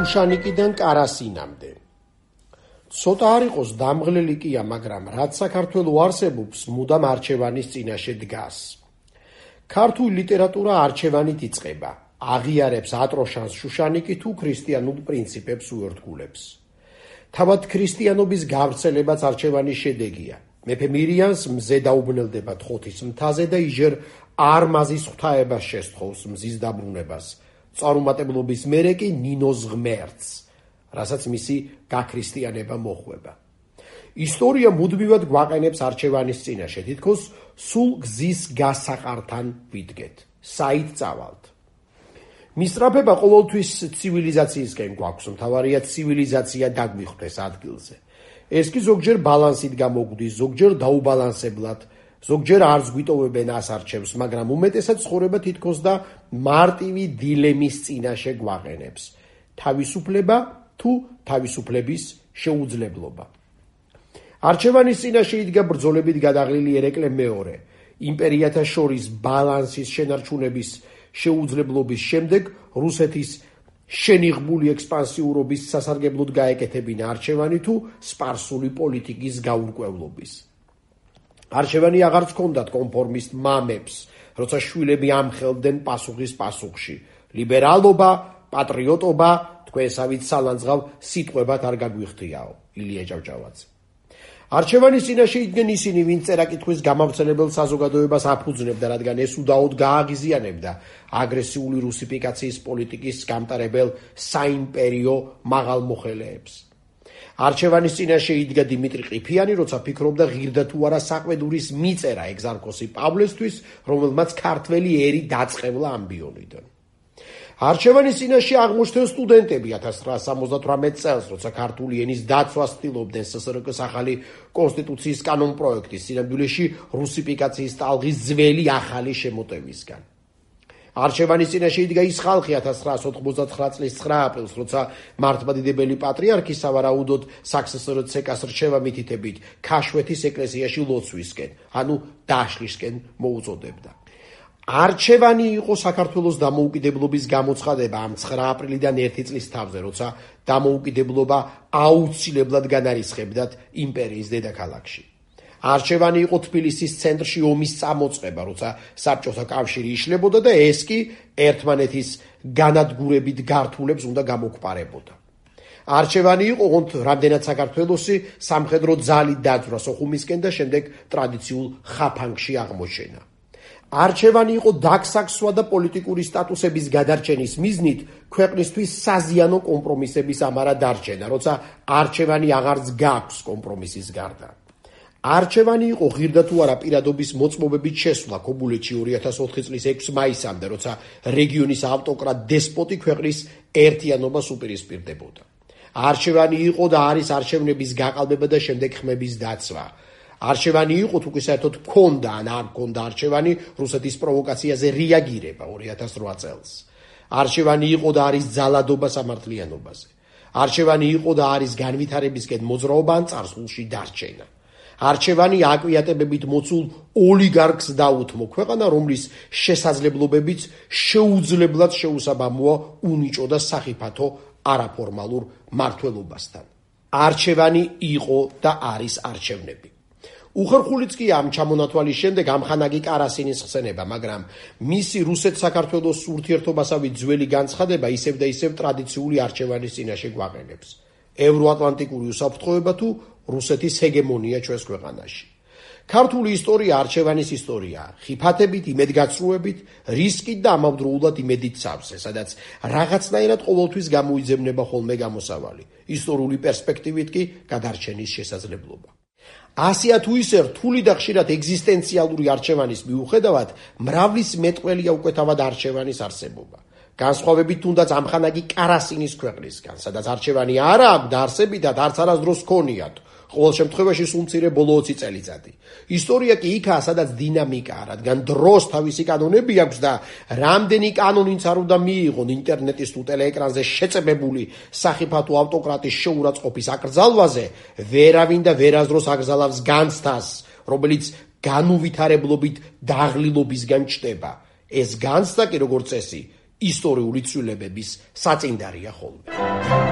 შუშანიკიდან კარასინამდე. ცოტა არ იყოს დამღლელი კია, მაგრამ რაც საქართველო არსებობს, მუდამ არჩევანის წინაშე დგას. ქართული ლიტერატურა არჩევანით იწყება, აღიარებს ატროშანს შუშანიკი თუ ქრისტიანულ პრინციპებს უერთგულებს. თავად ქრისტიანობის გავრცელებაც არჩევანის შედეგია. მეფე მირიანს მზე დაუბნელდება თხოთის მთაზე და იჟერ არმაზის ღვთაებას შესთხოვს მზის დაბრუნებას. წარუმატებლობის მერე კი ნინოს ღმერთს, რასაც მისი გაქრისტიანება მოხვება. ისტორია მუდმივად გვაყენებს არჩევანის წინაშე, თითქოს სულ გზის გასაყართან ვიდგეთ, საით წავალთ. მისწრაფება ყოველთვის ცივილიზაციისკენ გვაქვს, მთავარია ცივილიზაცია დაგვიხვდეს ადგილზე. ეს კი ზოგჯერ ბალანსით გამოგვდის, ზოგჯერ დაუბალანსებლად, ზოგჯერ არც გვიტოვებენ ასარჩევს, მაგრამ უმეტესად ცხოვრება თითქოს და მარტივი დილემის წინაშე გვაყენებს. თავისუფლება თუ თავისუფლების შეუძლებლობა. არჩევანის წინაშე იდგა ბრძოლებით გადაღლილი ერეკლე მეორე. იმპერიათა შორის ბალანსის შენარჩუნების შეუძლებლობის შემდეგ რუსეთის შენიღბული ექსპანსიურობის სასარგებლოდ გაეკეთებინა არჩევანი თუ სპარსული პოლიტიკის გაურკვევლობის. არჩევანი აღარც ჰქონდათ კონფორმისტ მამებს, როცა შვილები ამხელდნენ პასუხის პასუხში. ლიბერალობა, პატრიოტობა, თქვენსავით სალანძღავ სიტყვებად არ გაგვიხდიაო. ილია ჭავჭავაძე. არჩევანის წინაშე იდგნენ ისინი, ვინც წერა-კითხვის გამავრცელებელ საზოგადოებას აფუძნებდა, რადგან ეს უდაოდ გააღიზიანებდა აგრესიული რუსიფიკაციის პოლიტიკის გამტარებელ საიმპერიო მაღალმოხელეებს. არჩევანის წინაშე იდგა დიმიტრი ყიფიანი, როცა ფიქრობდა ღირდა თუ არა საყვედურის მიწერა ეგზარქოსი პავლესთვის, რომელმაც ქართველი ერი დაწყევლა ამბიონიდან. არჩევანის წინაშე აღმოჩნდნენ სტუდენტები 1978 წელს, როცა ქართული ენის დაცვას ცდილობდნენ სსრკ-ს ახალი კონსტიტუციის კანონპროექტის, სინამდვილეში რუსიფიკაციის ტალღის ძველი ახალი შემოტევისგან. არჩევანის წინაშე იდგა ის ხალხი 1999 წლის 9 აპრილს, როცა მართლმადიდებელი პატრიარქი სავარაუდოდ საქსსრ-ცეკას რჩევა მითითებით ქაშვეთის ეკლესიაში ლოცვისკენ, ანუ დაშლისკენ მოუწოდებდა. არჩევანი იყო საქართველოს დამოუკიდებლობის გამოცხადება ამ 9 აპრილიდან 1 წლის თავზე, როცა დამოუკიდებლობა აუცილებლად განარისხებდათ იმპერიის დედაქალაქში. არჩევანი იყო თბილისის ცენტრში ომის წამოწყება, როცა საბჭოთა კავშირი იშლებოდა და ეს კი ერთმანეთის განადგურებით გართულებს უნდა გამოგვპარებოდა. არჩევანი იყო რამდენად საქართველოსი სამხედრო ძალით დაძვრა სოხუმისკენ და შემდეგ ტრადიციულ ხაფანგში აღმოჩენა. არჩევანი იყო დაგსაქსვა და პოლიტიკური სტატუსების გადარჩენის მიზნით ქვეყნისთვის საზიანო კომპრომისების ამარა დარჩენა, როცა არჩევანი აღარც გაქვს კომპრომისის გარდა. არჩევანი იყო ღირდა თუ არა პირადობის მოწმობებით შესვლა ქობულეთში 2004 წლის 6 მაისამდე, როცა რეგიონის ავტოკრატ დესპოტი ქვეყნის ერთიანობას უპირისპირდებოდა. არჩევანი იყო და არის არჩევნების გაყალბება და შემდეგ ხმების დაცვა. არჩევანი იყო თუ კი საერთოდ ჰქონდა ან არ ჰქონდა არჩევანი რუსეთის პროვოკაციაზე რეაგირება 2008 წელს. არჩევანი იყო და არის ძალადობა სამართლიანობაზე. არჩევანი იყო და არის განვითარებისკენ მოძრაობა ან წარსულში დარჩენა. არჩევანი აკვიატებებით მოცულ ოლიგარქს დაუთმო ქვეყანა, რომლის შესაძლებლობებიც შეუძლებლად შეუსაბამოა უნიჭო და სახიფათო არაფორმალურ მმართველობასთან. არჩევანი იყო და არის არჩევნები. უხერხულიც კი ამ ჩამონათვალის შემდეგ ამხანაგი კარასინის ხსენება, მაგრამ მისი რუსეთ-საქართველოს ურთიერთობასავით ძველი განცხადება ისევ და ისევ ტრადიციული არჩევანის წინაშე გვაყენებს. ევროატლანტიკური უსაფრთხოება თუ რუსეთის ჰეგემონია ჩვენს ქვეყანაში. ქართული ისტორია არჩევანის ისტორიაა, ხიფათებით, იმედგაცრუებით, რისკით და ამავდროულად იმედით სავსე, სადაც რაღაცნაირად ყოველთვის გამოიძებნება ხოლმე გამოსავალი, ისტორიული პერსპექტივით კი გადარჩენის შესაძლებლობა. ასია თუ ისე რთული და ხშირად ეგზისტენციალური არჩევანის მიუხედავად, მრავლის მეტყველია უკვე თავად არჩევანის არსებობა. განსხვავებით თუნდაც ამხანაგი კარასინის ქვეყნისგან, სადაც არჩევანი არა აქვს და არსებითად არც არასდროს ჰქონიათ, ყოველ შემთხვევაში სულ მცირე ბოლო 20 წელიწადი. ისტორია კი იქაა, სადაც დინამიკაა, რადგან დროს თავისი კანონები აქვს და რამდენი კანონიც არ უნდა მიიღონ ინტერნეტის თუ ტელეეკრანზე შეწებებული სახიფათო ავტოკრატის შეურაცხყოფის აკრძალვაზე, ვერავინ და ვერასდროს აკრძალავს განცდას, რომელიც განუვითარებლობით დაღლილობისგან ჩნდება. ეს განცდა კი როგორც წესი ისტორიული ცვლილებების საწინდარია ხოლმე.